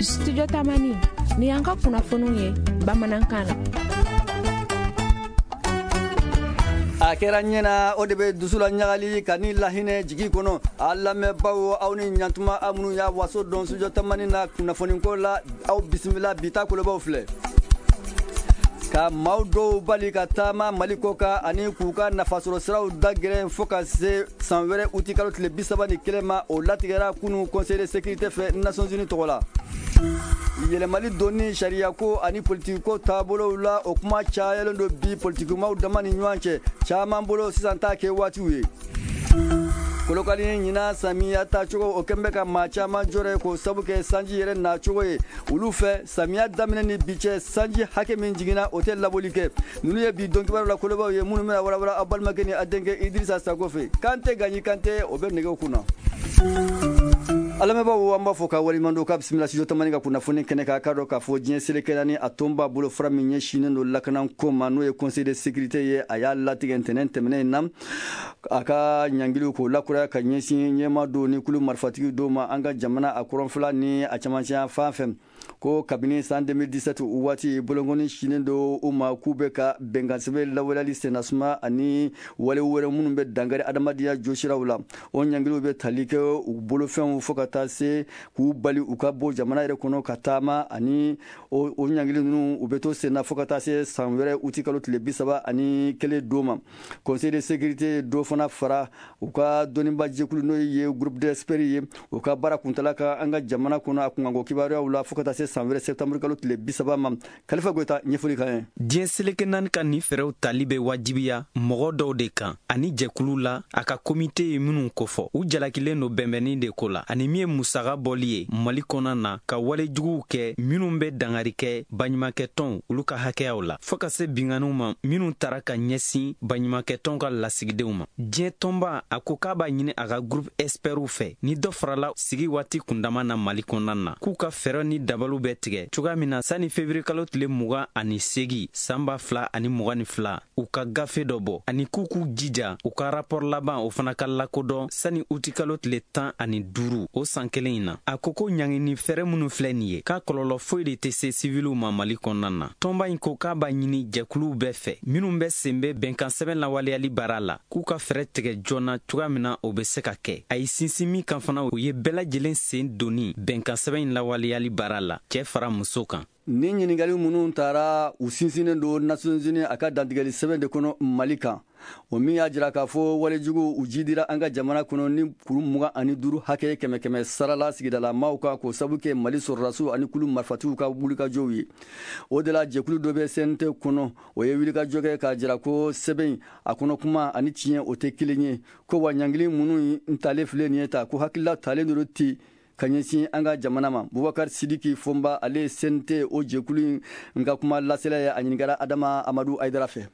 Studio Tamani, ni y'an ka kunnafoniw ye bamanankan na. A kɛra ɲɛna, o de bɛ dusu la ɲagali ka ni lahinɛ jigi kɔnɔ. A lamɛnbaw, aw ni ɲantuma. Aw minnu y'a waso dɔn Studio Tamani na kunnafoniko la, aw bisimila. Bi ta kolobaw filɛ: ka maaw dɔw bali ka taama Mali kɔ kan ani k'u ka nafasɔrɔ siraw dagɛrɛn fo ka se san wɛrɛ uti kalo tile 31 ma, o latigɛra kunu Conseil de sécurité fɛ Nations Unies tɔgɔ la. Yɛlɛmali donni sariyako ani politikiko taabolow la, o kuma cayalen don bi politikimaw dama ni ɲɔgɔn cɛ. Caman bolo, sisan t'a kɛ waatiw ye. Kolokani, ɲinan samiya tacogo, o kɛn bɛ ka maa caman jɔrɛ k'o sabu kɛ sanji yɛrɛ nacogo ye. Olu fɛ, samiya daminɛ ni bi cɛ, sanji hakɛ min jiginna, o tɛ labɔli kɛ. Ninnu ye bi don kibaru la kolobaw ye minnu bɛna walawala aw balimakɛ ni a denkɛ Idirisa Sako fɛ. Kante Gaɲi Kante, o bɛ nɛgɛw kunna. A lamɛnbaaw, an b'a fɔ ka waleɲuman dɔn, k'a bisimila Studio Tamani ka kunnafoni kɛnɛ kan. K'a dɔn k'a fɔ diɲɛ seleke naani a tɔnba bolofara min ɲɛsinnen don lakanako ma, n'o ye Conseil de sécurité ye, a y'a latigɛ ntɛnɛn tɛmɛnen in na a ka ɲangiliw k'o lakuraya ka ɲɛsin ɲɛma dɔw ni kulu marifatigi dɔw ma an ka jamana a kɔrɔnfɛla ni a camancɛ fan fɛ, ko kabini san 2017 waati, bolonkɔni sinnen don u ma k'u bɛ ka bɛnkansɛbɛn lawaleyali sennasuma ani wale wɛrɛ minnu bɛ dankari adamadenya josiraw la. O ɲangiliw bɛ tali kɛ u bolofɛnw fo ka taa se k'u bali u ka bɔ jamana yɛrɛ kɔnɔ ka taama, ani o ɲangili ninnu, u bɛ to senna fo ka taa se san wɛrɛ uti kalo tile 31 don ma. Conseil de sécurité dɔ fana fara u ka dɔnniba jɛkulu, n'o ye groupe d'experts ye, u ka baara kuntala ka an ka jamana kɔnɔ a kunkanko kibaruyaw la fo ka taa se san wɛrɛ septembre kalo tile 30 ma. Kalifa Goyita, ɲɛfɔli kan ye. Diɲɛ seleke naani ka nin fɛɛrɛw tali bɛ wajibiya mɔgɔ dɔw de kan ani jɛkulu la a ka komite ye minnu kofɔ. U jalakilen don bɛnbɛnni de ko la ani min ye musaga bɔli ye Mali kɔnɔ na ka wale juguw kɛ minnu bɛ dangari kɛ baɲumankɛtɔnw olu ka hakɛyaw la, fɔɔ ka se binkanniw ma minnu tara ka ɲɛsin baɲumankɛtɔnw ka lasigidenw ma. Diɲɛ tɔnba a ko k'a b'a ɲini a ka groupe expertw fɛ, ni dɔ farala sigi waati kundama na Mali kɔnɔna na, k'u ka fɛɛrɛ ni dabaliw bɛɛ tigɛ cogoya min na sani fevrier kalo tile 28 san 2022, u ka gafe dɔ bɔ, ani k'u k'u jija u ka rapport laban, o fana ka lakodɔn sani utikalo tile 15 o san kelen in na. A ko ko ɲangini fɛɛrɛ minnu filɛ nin ye, k'a kɔlɔlɔ foyi de tɛ se siviliw ma Mali kɔnɔna na. Tɔnba in ko k'a b'a ɲini jɛkuluw bɛɛ fɛ minnu bɛ sen bɛ bɛnkan sɛbɛn lawaleyali baara la, k'u ka fɛɛrɛ tigɛ joona cogoya min na o bɛ se ka kɛ. A ye sinsin min kan fana, o ye bɛɛ lajɛlen sen donni bɛnkan sɛbɛn in lawaleyali baara la, cɛɛ fara muso kan. Ni ɲininkali minnu taara, u sinsinnen don Nations Unies a ka dantigɛli sɛbɛn de kɔnɔ Mali kan, o min y'a jira k'a fɔ walejugu u jidira an ka jamana kɔnɔ ni kuru 25 hakɛ kɛmɛ kɛmɛ sarala sigidala maaw kan, k'o sabu kɛ Mali sɔrɔdasiw ani kulu marifatigiw ka wulikajɔw ye. O de la, jɛkulu dɔ bɛ CNT kɔnɔ, o ye wulikajɔ kɛ k'a jira ko sɛbɛn a kɔnɔ kuma ani tiɲɛ, o tɛ kelen ye, ko wa ɲangili minnu talen filɛ nin ye ta, ko hakilila talen don ten ka ɲɛsin an ka jamana ma. Bubakari Sidiki Fɔnba, ale ye CNT o jɛkulu in ka kuma lasela ye. A ɲininkara Adama Amadu Ayidara fɛ.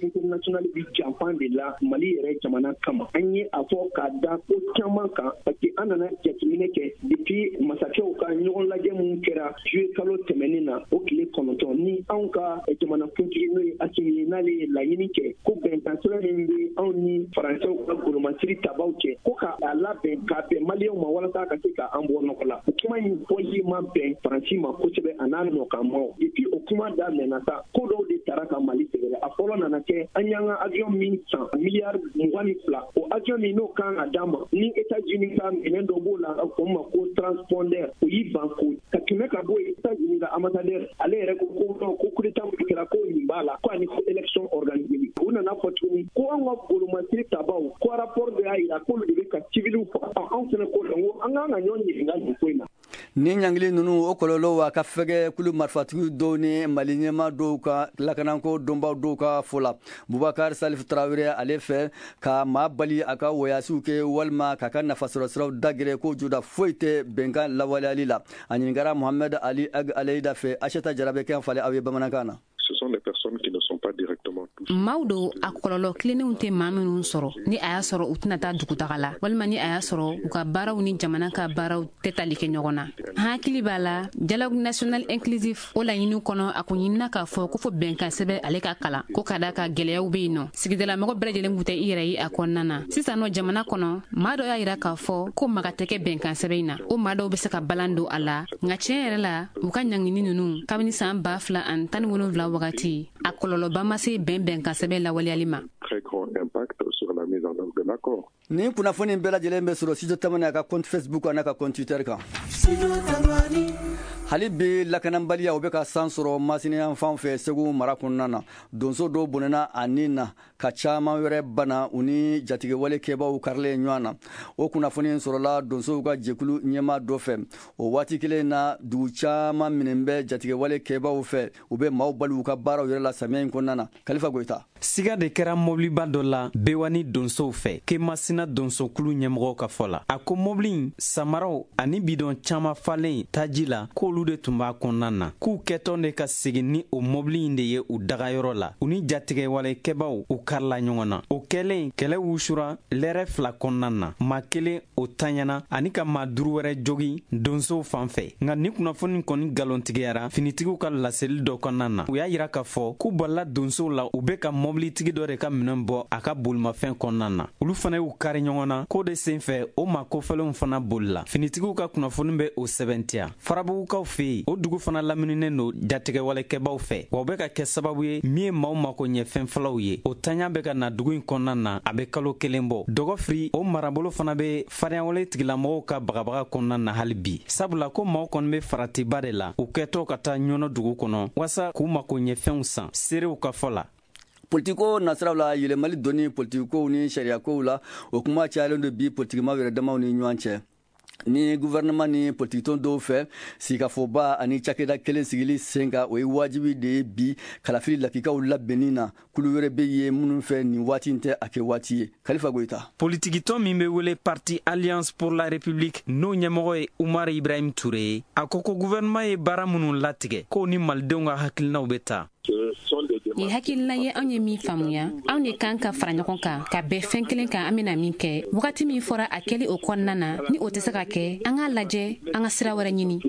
International bi janfan de la Mali yɛrɛ jamana kama. An ye a fɔ k'a da ko caman kan, parce que an nana jateminɛ kɛ depuis masakɛw ka ɲɔgɔn lajɛ mun kɛra juillet kalo tɛmɛnen na, o tile 9, ni anw ka jamanakuntigi, n'o ye Asimi ye, n'ale ye laɲini kɛ ko bɛnkan sɛbɛn min bɛ anw ni Faransɛw ka golomasiri tabaw cɛ, ko ka a labɛn k'a bɛn Maliyɛnw ma walasa ka se ka an bɔ nɔgɔ la. O kuma in fɔli ma bɛn Faransi ma kosɛbɛ a n'a nɔkanmaw. Depuis o kuma daminɛna sa, ko dɔw de tara ka Mali sɛgɛrɛ. A fɔlɔ nana kɛ an y'an ka avion min san miliyari 22, o avion min n'o kan ka d'an ma ni États-Unis ka minɛn dɔ b'o la, o ma ko transpondeur, o y'i ban ko ka tɛmɛ ka bɔ yen. États-Unis ka ambassadeur, ale yɛrɛ ko ko non, ko coup d'état min kɛra, ko nin b'a la, ko ani ko élection organisée. U nana fɔ tuguni ko an ka golomasiri tabaw, ko rapport dɔ y'a jira k'olu de bɛ ka civiliw faga. Anw fana ko la ko an kan ka ɲɔgɔn ɲininka nin ko in na. Ni ɲangili ninnu, o kɔlɔlɔw a ka fɛgɛ kulu marifatigi dɔw ni Mali ɲɛma dɔw ka lakanako dɔnbaw dɔw ka fɔ la. Bubakar Salif Tarawele, ale fɛ, ka maa bali a ka wɔyasiw kɛ walima k'a ka nafasɔrɔsiraw dagɛrɛ, ko joda foyi tɛ bɛnkan lawaleyali la. A ɲininkara Mohamed Ali Ag Aleyida fɛ. Aseta Jara bɛ kɛ falen aw ye bamanankan na. Maaw don, a kɔlɔlɔ tilennenw tɛ maa minnu sɔrɔ, ni a y'a sɔrɔ u tɛna taa dugutaga la, walima ni a y'a sɔrɔ u ka baaraw ni jamana ka baaraw tɛ tali kɛ ɲɔgɔn na. An hakili b'a la, dialogue national inclusif, o laɲiniw kɔnɔ, a kun ɲinina k'a fɔ ko fo bɛnkan sɛbɛn ale ka kalan, ko ka da ka gɛlɛyaw bɛ yen nɔ, sigidalamɔgɔ bɛɛ lajɛlen kun tɛ i yɛrɛ ye a kɔnɔna na. Sisan nɔ, jamana kɔnɔ, maa dɔ y'a yira k'a fɔ ko maga tɛ kɛ bɛnkan sɛbɛn in na. O maa dɔw bɛ se ka balan don a la, nka tiɲɛ yɛrɛ la, u ka ɲangini ninnu, kabini san 2017 wagati, a kɔlɔlɔba ma se bɛnkan sɛbɛn lawaleyali ma. Nin kunnafoni bɛɛ lajɛlen bɛ sɔrɔ Studio Tamani a ka compte Facebook a n'a ka compte Twitter kan. Hali bi, lakanabaliya o bɛ ka san sɔrɔ Masina fan fɛ, Segu mara kɔnɔna na. Donso dɔw bɔnɛna a nin na, ka caman wɛrɛ bana, u ni jatigɛwale kɛbaw karilen ɲɔgɔn na. O kunnafoni sɔrɔla donsow ka jɛkulu ɲɛmaa dɔ fɛ. O waati kelen na, dugu caman minɛ bɛ jatigɛwale kɛbaw fɛ, u bɛ maaw bali u ka baaraw yɛrɛ la samiya in kɔnɔna na. Kalifa Goyita. Siga de kɛra mobiliba dɔ la Bewani donsow fɛ, Kemasina donsokulu ɲɛmɔgɔw ka fɔ la. A ko mobili in, samaraw ani bidɔn caman falen taji la, k'olu de tun b'a kɔnɔna na, k'u kɛtɔ de ka segin ni o mobili in de ye u dagayɔrɔ la, u ni jatigɛwalekɛbaw u karila ɲɔgɔn na. O kɛlen, kɛlɛ wusura lɛrɛ 2 kɔnɔna na, maa kelen o taɲana ani ka maa 5 wɛrɛ jogin donsow fan fɛ. Nka ni kunnafoni kɔni galontigiyara finitigiw ka laseli dɔ kɔnɔna na. U y'a yira k'a fɔ k'u balila donsow la, u bɛ ka mɔbilitigi dɔ de ka minɛn bɔ a ka bolimafɛn kɔnɔna na. Olu fana y'u kari ɲɔgɔn na k'o de sen fɛ, o maa kofɔlenw fana bolila. Finitigiw ka kunnafoni bɛ o sɛbɛntiya. Farabugukaw fɛ yen, o dugu fana lamininen don jatigɛwalekɛbaw fɛ, wa o bɛ ka kɛ sababu ye min ye maaw mako ɲɛ fɛn fɔlɔw ye. O taɲa bɛ ka na dugu in kɔnɔna na, a bɛ kalo 1 bɔ. Dɔgɔfiri o marabolo fana bɛ farinyawale tigilamɔgɔw ka bagabaga kɔnɔna na hali bi, sabula ko maaw kɔni bɛ faratiba de la, u kɛtɔ ka taa Ɲɔnɔ dugu kɔnɔ waasa k'u mako ɲɛ fɛnw san, seerew ka fɔ la. Politiko nasiraw la, yɛlɛmali donni politikow ni sariyakow la, o kuma cayalen don bi politikimaw yɛrɛ damaw ni ɲɔgɔn cɛ, ni gouvernement ni politikitɔn dɔw fɛ. Sigikafɔba ani cakɛda kelen sigili sen kan, o ye wajibi de ye bi kalafili lakikaw labɛnni na. Kulu wɛrɛ bɛ ye minnu fɛ, nin waati in tɛ a kɛ waati ye. Kalifa Goyita. Politikitɔn min bɛ wele Parti Alliance pour la République, n'o ɲɛmɔgɔ ye Umar Ibrahim Touré ye, a ko ko gouvernement ye baara minnu latigɛ, k'o ni malidenw ka hakilinaw bɛ taa. Nin hakilina ye anw ye min faamuya, anw de kan ka fara ɲɔgɔn kan ka bɛn fɛn kelen kan. An bɛna min kɛ, wagati min fɔra a kɛli o kɔnɔna na, ni o tɛ se ka kɛ, an k'a lajɛ an ka sira wɛrɛ ɲini.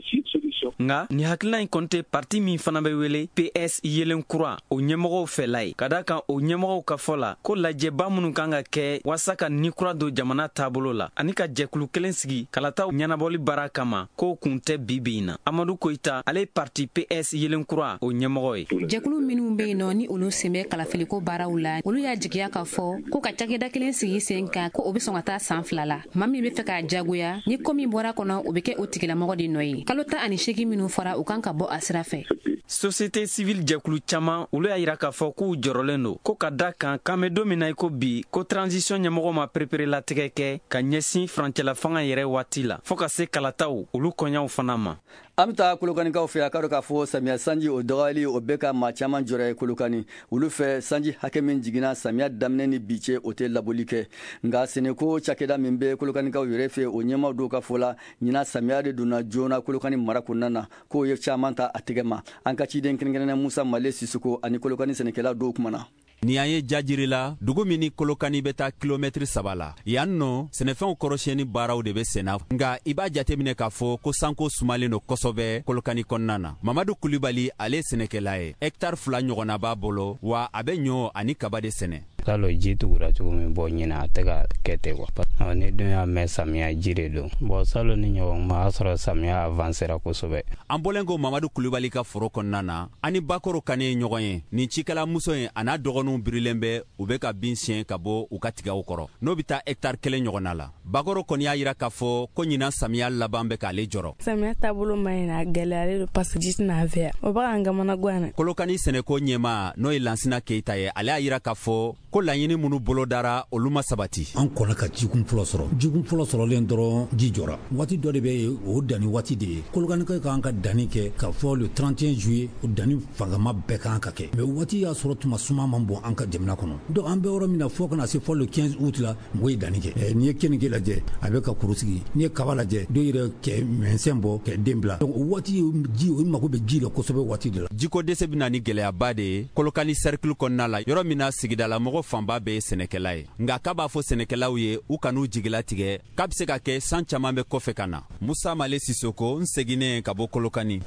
Nka nin hakilina in kɔni tɛ parti min fana bɛ wele PS Yelen Kura, o ɲɛmɔgɔw fɛla ye, ka da kan o ɲɛmɔgɔw ka fɔ la ko lajɛba minnu kan ka kɛ waasa ka ni kura don jamana taabolo la ani ka jɛkulu kelen sigi kalataw ɲɛnabɔli baara kama, k'o kun tɛ bi bi in na. Amadu Koyita, ale ye parti PS Yelen Kura o ɲɛmɔgɔ ye. Jɛkulu minnu bɛ yen nɔ, ni olu sen bɛ kalafiliko baaraw la, olu y'a jigiya k'a fɔ ko ka cakɛda kelen sigi sen kan, ko o bɛ sɔn ka taa san 2 la. Maa min bɛ fɛ k'a jagoya ni ko min bɔra kɔnɔ, o bɛ kɛ o tigilamɔgɔ de nɔ ye. Kalo 18 minnu fɔra, u kan ka bɔ a sira fɛ. Société civile jɛkulu caman, olu y'a yira k'a fɔ k'u jɔrɔlen don ko ka da kan k'an bɛ don min na i ko bi, ko transition ɲɛmɔgɔ ma pereperelatigɛ kɛ ka ɲɛsin furancɛla fanga yɛrɛ waati la, fɔɔ ka se kalataw olu kɔɲaw fana ma. An bɛ taa Kolokanikaw fɛ. A ka dɔn k'a fɔ samiya sanji o dɔgɔyali, o bɛ ka maa caman jɔrɔ Kolokani. Olu fɛ, sanji hakɛ min jiginna samiya daminɛ ni bi cɛ, o tɛ labɔli kɛ. Nka sɛnɛko cakɛda min bɛ Kolokanikaw yɛrɛ fɛ, o ɲɛmaaw dɔw ka fɔ la, ɲinan samiya de donna joona Kolokani mara kɔnɔna na, k'o ye caman ta a tɛgɛ ma. An ka ciden kɛrɛnkɛrɛnnen Musa Male Sisoko ani Kolokani sɛnɛkɛla dɔw kumana. Ni an ye Jajiri la, dugu min ni Kolokani bɛ taa kilomɛtiri 3 la, yan nɔ sɛnɛfɛnw kɔrɔsiyɛnni baaraw de bɛ senna. Nka i b'a jateminɛ k'a fɔ ko sanko sumalen don kosɛbɛ Kolokani kɔnɔna na. Mamadu Kulibali, ale ye sɛnɛkɛla ye, hɛkitari 2 ɲɔgɔnna b'a bolo, wa a bɛ ɲɔ ani kaba de sɛnɛ. T'a ji tugura cogo min bɔ, ɲinɛ a tɛ ka kɛ ten kuwa. Ni dun y'a mɛn samiya ji de don bɔn, salon ni ɲɔgɔn ma, y'a sɔrɔ samiya avancera kosɛbɛ. An bɔlen ko Mamadu Kulibali ka foro kɔnɔna na, ani Bakoro Kane ye ɲɔgɔn ye. Nin cikɛla muso in a n'a dɔgɔninw birilen bɛ, u bɛ ka bin siɲɛ ka bɔ u ka tigaw kɔrɔ, n'o bɛ taa hɛkitari 1 ɲɔgɔnna la. Bakoro kɔni y'a yira k'a fɔ ko ɲinan samiya laban bɛ k'ale jɔrɔ. Samiya taabolo ma ɲi, a gɛlɛyalen don parce que ji tɛna an fɛ yan, o bɛ k'an kamana gan. Kolokani sɛnɛko ɲɛmaa, n'o ye Lansina Keyita ye, ale y'a yira k'a fɔ ko laɲini minnu bolodara, olu ma sabati. An kɔnna ka jikun fɔlɔ sɔrɔ. Jikun fɔlɔ sɔrɔlen dɔrɔn, ji jɔra. Waati dɔ de bɛ yen, o danni waati de ye. Kolokanikaw kan ka danni kɛ ka fɔ le 31 juillet, o danni fangama bɛɛ kan ka kɛ, mais waati y'a sɔrɔ tuma suma man bon an ka jamana kɔnɔ. Donc an bɛ yɔrɔ min na, fɔ kana se fɔ le 15 août la, mɔgɔ ye danni kɛ. N'i ye kenige lajɛ, a bɛ ka kuru sigi. N'i ye kaba lajɛ, dɔw yɛrɛ kɛ mɛnsɛn bɔ kɛ den bila. Donc o waati ji, o mako bɛ ji la kosɛbɛ waati de la. Jiko dɛsɛ bɛ na ni gɛlɛyaba de ye Kolokani cercle kɔnɔna la, yɔrɔ min na sigidalamɔgɔ fanba bɛɛ ye sɛnɛkɛla ye. Nka k'a b'a fɔ sɛnɛkɛlaw ye, u kan'u jigilatigɛ, k'a bɛ se ka kɛ san caman bɛ kɔfɛ ka na. Musa Male Sisoko, n seginnen ka bɔ Kolokani.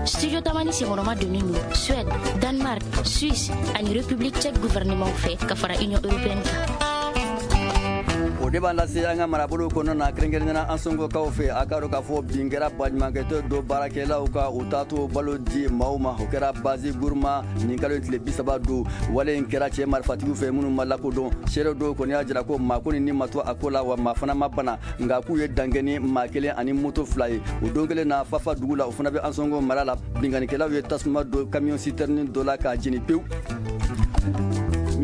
Studio Tamani senkɔrɔma donnen don Suède, Danemark, Suisse ani République tchèque gouvernement fɛ ka fara Union européenne kan. O de b'an lase an ka marabolo kɔnɔna na, kɛrɛnkɛrɛnnenya Ansɔngokaw fɛ. A ka dɔn k'a fɔ bin kɛra baɲumankɛtɔ dɔ baarakɛlaw ka u taato balo di maaw ma. O kɛra base Guruma nin kalo tile 30 don. Wale in kɛra cɛ marifatigiw fɛ minnu ma lakodɔn. Seere dɔw kɔni y'a jira ko maa ko ni ma to a ko la, wa maa fana ma bana, nka k'u ye dankɛ ni maa kelen ani moto fila ye. O don kelen na, Fafa dugu la, o fana bɛ Ansɔngo mara la, binkannikɛlaw ye tasuma don camion citerne dɔ la k'a jeni pewu.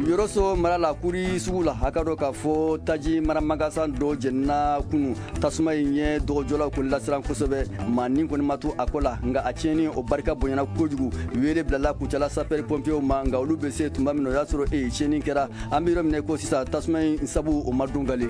Yɔrɔso mara la, Kuri sugu la, a ka dɔn k'a fɔ taji maramagasan dɔ jenina kunu. Tasuma in ye dɔgɔjɔlaw kɔni lasiran kosɛbɛ. Maa nin kɔni ma to a ko la, nka a tiɲɛni o barika bonyana kojugu. Wele bilala Kucala sapeur pompiers ma, nka olu bɛ se tuma min na, o y'a sɔrɔ tiɲɛni kɛra. An bɛ yɔrɔ min na ko sisan, tasuma in sabu o ma dɔn gale.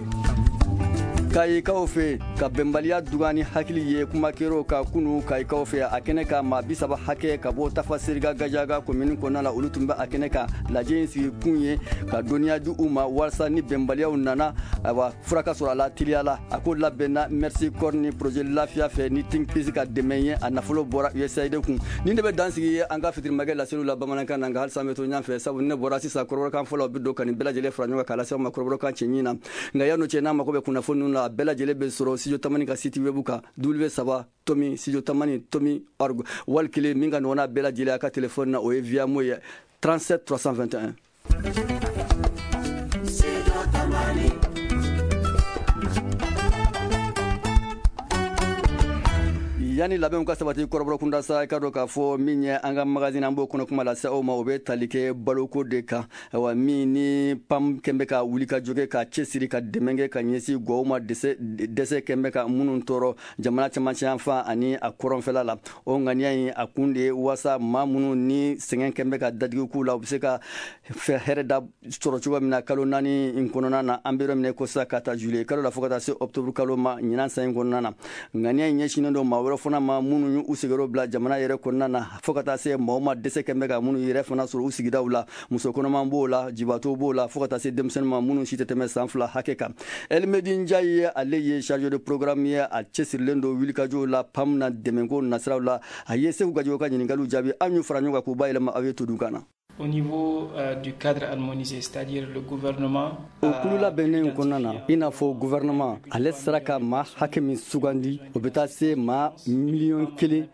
Kayikaw fɛ, ka bɛnbaliya dugan ni hakili ye kuma kɛr'o ka kunu Kayikaw fɛ. A kɛnɛ ka maa 30 hakɛ ka bɔ Tafa Seriga Gajaga komini kɔnɔna la, olu tun bɛ a kɛnɛ kan. Lajɛ in sigi kun ye ka dɔnniya di u ma walasa ni bɛnbaliyaw nana, ayiwa, fura ka sɔrɔ a la teliya la. A ko labɛnna Mercy Corps ni projet Lafiya fɛ ni Think Peace ka dɛmɛ ye. A nafolo bɔra USAID kun. Nin de bɛ dan sigi an ka fitirimakɛ laseliw la bamanankan na, nka halisa an bɛ to ɲɔgɔn fɛ, sabu ne bɔra sisan, kɔrɔbɔrɔkan fɔlɔ bɛ don ka nin bɛɛ lajɛlen fara ɲɔgɔn kan k'a lase aw ma kɔrɔbɔrɔkan cɛɲi na. Nka yan'o cɛ, n'a mako bɛ kunnafoni ninnu na, a bɛɛ lajɛlen bɛ sɔrɔ Studio Tamani ka site web kan, w 3 tomi studio tamani tomi org. Wali kelen min ka nɔgɔn n'a bɛɛ lajɛlen a ka telefɔni na, o ye Viamo ye, 37 321. Yanni labɛnw ka sabati kɔrɔbɔrɔ kunda sa, i ka dɔn k'a fɔ min ye an ka magazine, an b'o kɔnɔ kuma lase aw ma, o bɛ tali kɛ baloko de kan. Ayiwa, min ni PAM kɛn bɛ ka wulikajɔ kɛ ka cɛsiri ka dɛmɛ kɛ ka ɲɛsin gɔw ma, dɛsɛ kɛn bɛ ka minnu tɔɔrɔ jamana cɛmancɛ yanfan ani a kɔrɔnfɛla la. O ŋaniya in, a kun de ye walasa maa minnu ni sɛgɛn kɛn bɛ ka dadigi k'u la, u bɛ se ka hɛrɛ da sɔrɔ cogo min na kalo 4 in kɔnɔna na. An bɛ yɔrɔ min na ko sisan, ka taa juillet kalo la fo ka taa se octobre kalo ma ɲinan san in kɔnɔna na. Ŋaniya in ɲɛsinnen don maa wɛrɛ fana ma minnu y'u sigiyɔrɔ bila jamana yɛrɛ kɔnɔna na, fo ka taa se maaw ma dɛsɛ kɛn bɛ ka minnu yɛrɛ fana sɔrɔ u sigidaw la. Muso kɔnɔman b'o la, jibaatɔw b'o la, fo ka taa se denmisɛnnin ma minnu si tɛ tɛmɛ san 2 hakɛ kan. Elmedi Njayi ye, ale ye chargé de programme ye, a cɛsirilen don wulikajɔw la PAM na dɛmɛko nasiraw la. A ye Segu Gajogo ka ɲininkaliw jaabi. An y'u fara ɲɔgɔn kan k'u bayɛlɛma aw ye todukan na. Au niveau du cadre harmonisé, c'est-à-dire le gouvernement. O kulu labɛnnen kɔnɔna na, i n'a fɔ gouvernement ale sera ka maa hakɛ min sugandi, o bɛ taa se maa 1 100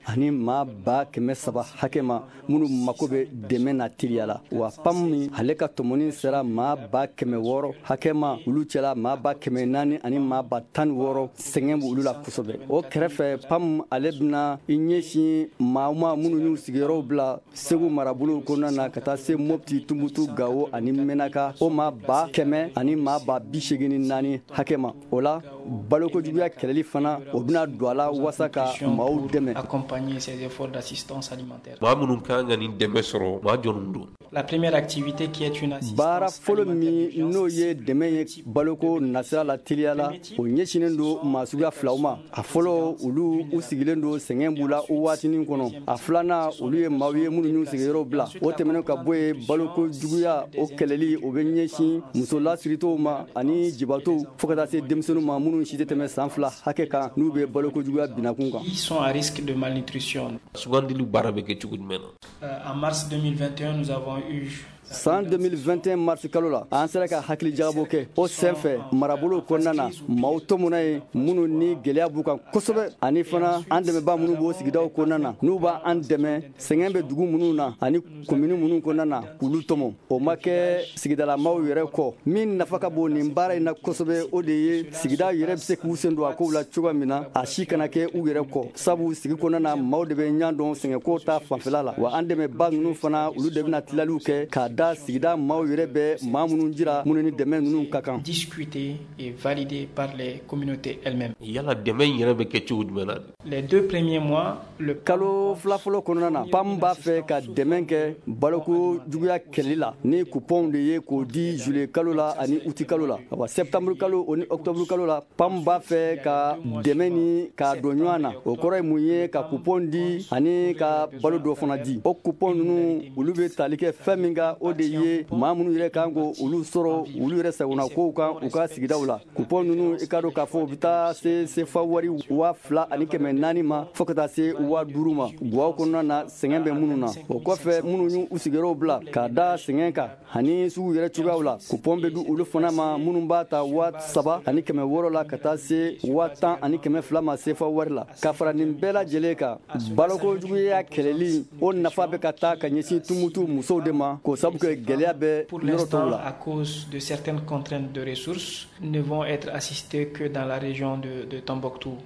300 hakɛ ma minnu mako bɛ dɛmɛ na teliya la. Wa PAM min ale ka tɔmɔni sera maa 600 000 hakɛ ma, olu cɛla maa 400 000 ani maa 16 000, sɛgɛn b'olu la kosɛbɛ. O kɛrɛfɛ, PAM ale bɛna i ɲɛsin maa ma minnu y'u sigiyɔrɔw bila Segu marabolo kɔnɔna na ka taa se Mopti, Tumutu, Gawo ani Menaka, o maa 100 000 ani maa 84 000 hakɛ ma. O la, balokojuguya kɛlɛli fana, o bɛna don a la walasa ka maaw dɛmɛ. Accompagner ces efforts d'assistance alimentaire. Maa minnu kan ka nin dɛmɛ sɔrɔ, maa jɔnw don? La première activité qui est une assistance Baara fɔlɔ min n'o ye dɛmɛ ye baloko nasira la teliya la, o ɲɛsinnen don maa suguya filaw ma. A fɔlɔ, olu u sigilen don, sɛgɛn b'u la o waatinin kɔnɔ. A filanan, olu ye maaw ye minnu y'u sigiyɔrɔ bila. O tɛmɛnen ka bɔ yen, baloko juguya o kɛlɛli, o bɛ ɲɛsin muso lasiritow ma ani jibatɔw, fo ka taa se denmisɛnninw ma minnu si tɛ tɛmɛ san 2 hakɛ kan, n'u bɛ baloko juguya binakun kan. Qui sont à risque de malnutrition. Sugandili baara bɛ kɛ cogo jumɛn na? En mars 2021, nous avons eu San 2021 mars kalo la, an sera ka hakili jagabɔ kɛ. O sen fɛ, marabolo kɔnɔna na, maaw tɔmɔna ye minnu ni gɛlɛya b'u kan kosɛbɛ, ani fana an dɛmɛbaa minnu b'o sigidaw kɔnɔna na, n'u b'an dɛmɛ, sɛgɛn bɛ dugu minnu na ani komini minnu kɔnɔna na, k'olu tɔmɔ. O ma kɛ sigidalamaw yɛrɛ kɔ. Min nafa ka bon nin baara in na kosɛbɛ, o de ye sigida yɛrɛ bɛ se k'u sen don a kow la cogoya min na, a si kana kɛ u yɛrɛ kɔ, sabu sigi kɔnɔna na, maaw de bɛ ɲan dɔn sɛgɛnko ta fanfɛla la. Wa an dɛmɛba ninnu fana, olu de bɛna tilaliw kɛ k'a da da sigida maaw yɛrɛ bɛ maa minnu jira minnu ni dɛmɛ ninnu ka kan. Discuté et validé par les communautés elles-mêmes. Yala dɛmɛ in yɛrɛ bɛ kɛ cogo jumɛn na? Les 2 premiers mois, le kalo 2 fɔlɔ kɔnɔna na, PAM b'a fɛ ka dɛmɛ kɛ baloko juguya kɛlɛli la ni coupon de ye k'o di juillet kalo la ani août kalo la. Awa, septembre kalo o ni octobre kalo la, PAM b'a fɛ ka dɛmɛ ni k'a don ɲɔgɔn na. O kɔrɔ ye mun ye? Ka coupon di ani ka balo dɔ fana di. O coupon ninnu, olu bɛ tali kɛ fɛn min kan, o de ye maa minnu yɛrɛ kan ko olu sɔrɔ olu yɛrɛ sagona kow kan u ka sigidaw la. Coupon ninnu, i ka dɔn k'a fɔ u bɛ taa se sefa wari 2400 ma fo ka taa se 5000 ma guwaw kɔnɔna na, sɛgɛn bɛ minnu na. O kɔfɛ, minnu y'u sigiyɔrɔw bila ka da sɛgɛn kan ani sugu yɛrɛ cogoyaw la, coupon bɛ di olu fana ma, minnu b'a ta 3600 la ka taa se 10,200 ma sefa wari la. Ka fara nin bɛɛ lajɛlen kan, baloko juguya kɛlɛli, o nafa bɛ ka taa ka ɲɛsin Tumutu musow de ma, k'o sabu kɛ gɛlɛya bɛ yɔrɔ tɔw la. À cause de certaines contraintes de ressources, ne vont être assistés que dans la région de Tombouctou.